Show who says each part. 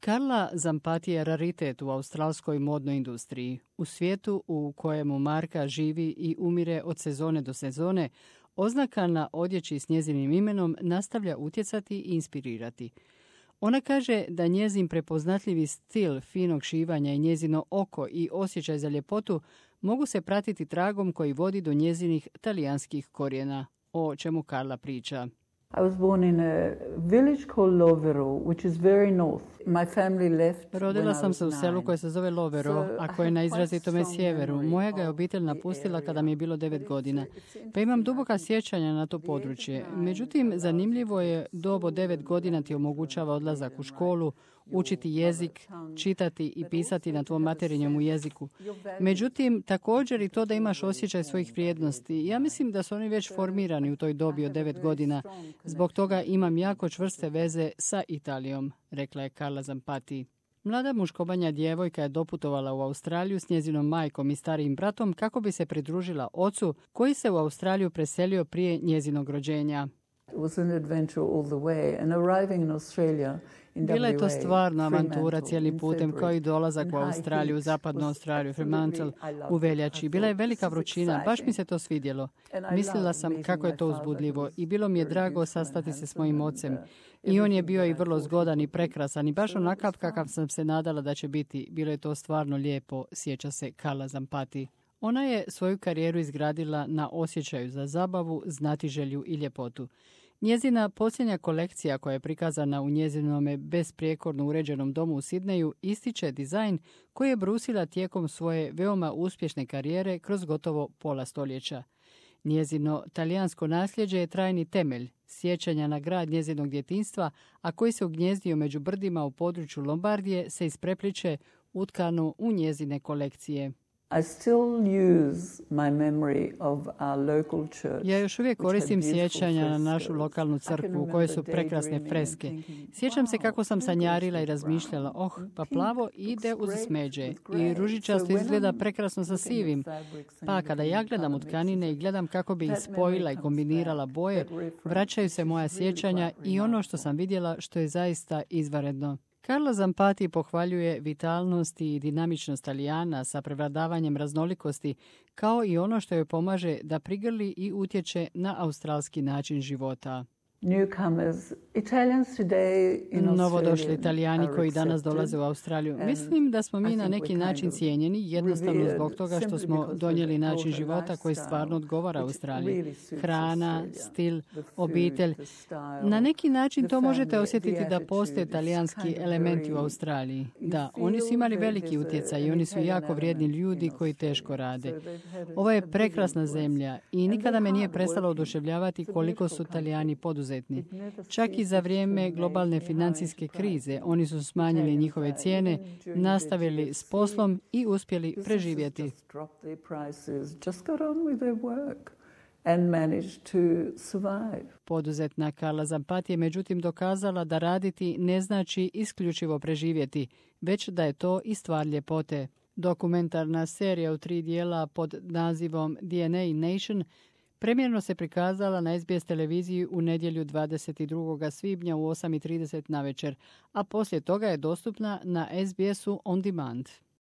Speaker 1: Carla Zampati je raritet u australskoj modnoj industriji. U svijetu u kojemu marka živi i umire od sezone do sezone, oznaka na odjeći s njezinim imenom nastavlja utjecati i inspirirati. Ona kaže da njezin prepoznatljivi stil finog šivanja i njezino oko i osjećaj za ljepotu mogu se pratiti tragom koji vodi do njezinih talijanskih korijena, o čemu Carla priča.
Speaker 2: I was born in a village called Lovero, which is very north. My family left.
Speaker 1: Rodila sam se u selu koje se zove Lovero, a koje je na izrazitome sjeveru. Moja ga je obitelj napustila kada mi je bilo 9 godina. Pa imam duboka sjećanja na to područje. Međutim, zanimljivo je, dob od 9 godina ti omogućava odlazak u školu, učiti jezik, čitati i pisati na tvom materinjem jeziku. Međutim, također i to da imaš osjećaj svojih vrijednosti. Ja mislim da su oni već formirani u toj dobi od 9 godina. Zbog toga imam jako čvrste veze sa Italijom, rekla je Carla Zampati. Mlada muškobanja djevojka je doputovala u Australiju s njezinom majkom i starijim bratom kako bi se pridružila ocu koji se u Australiju preselio prije njezinog rođenja. Bila je to stvarno avantura cijeli putem, kao i dolazak u Australiju, zapadnu Australiju, Fremantle, u veljači. Bila je velika vrućina, baš mi se to svidjelo. Mislila sam kako je to uzbudljivo i bilo mi je drago sastati se s mojim ocem. I on je bio i vrlo zgodan i prekrasan i baš onakav kakav sam se nadala da će biti. Bilo je to stvarno lijepo, sjeća se Carla Zampati. Ona je svoju karijeru izgradila na osjećaju za zabavu, znatiželju i ljepotu. Njezina posljednja kolekcija koja je prikazana u njezinome besprijekorno uređenom domu u Sidneju ističe dizajn koji je brusila tijekom svoje veoma uspješne karijere kroz gotovo pola stoljeća. Njezino talijansko nasljeđe je trajni temelj, sjećanja na grad njezinog djetinjstva, a koji se ugnjezdio među brdima u području Lombardije, se isprepliče utkano u njezine kolekcije.
Speaker 2: I still use my memory of our local church.
Speaker 1: Ja još uvijek koristim sjećanja na našu lokalnu crkvu u kojoj su prekrasne freske. Sjećam se kako sam sanjarila i razmišljala, pa plavo ide uz smeđe i ružičasto izgleda prekrasno sa sivim. Pa kada ja gledam u tkanine i gledam kako bi ih spojila i kombinirala boje, vraćaju se moja sjećanja i ono što sam vidjela što je zaista izvanredno. Carla Zampati pohvaljuje vitalnost i dinamičnost Talijana sa prevladavanjem raznolikosti, kao i ono što joj pomaže da prigrli i utječe na australski način života. Novodošli Italijani koji danas dolaze u Australiju. Mislim da smo mi na neki način cijenjeni, jednostavno zbog toga što smo donijeli način života koji stvarno odgovara Australiji. Hrana, stil, obitelj. Na neki način to možete osjetiti da postoje talijanski elementi u Australiji. Da, oni su imali veliki utjecaj i oni su jako vrijedni ljudi koji teško rade. Ovo je prekrasna zemlja i nikada me nije prestalo oduševljavati koliko su Talijani poduzetni. Čak i za vrijeme globalne financijske krize oni su smanjili njihove cijene, nastavili s poslom i uspjeli preživjeti. Poduzetna Carla Zampati je međutim dokazala da raditi ne znači isključivo preživjeti, već da je to i stvar ljepote. Dokumentarna serija u 3 dijela pod nazivom DNA Nation premijerno se prikazala na SBS televiziji u nedjelju 22. svibnja u 8:30 navečer, a poslije toga je dostupna na SBS-u On Demand.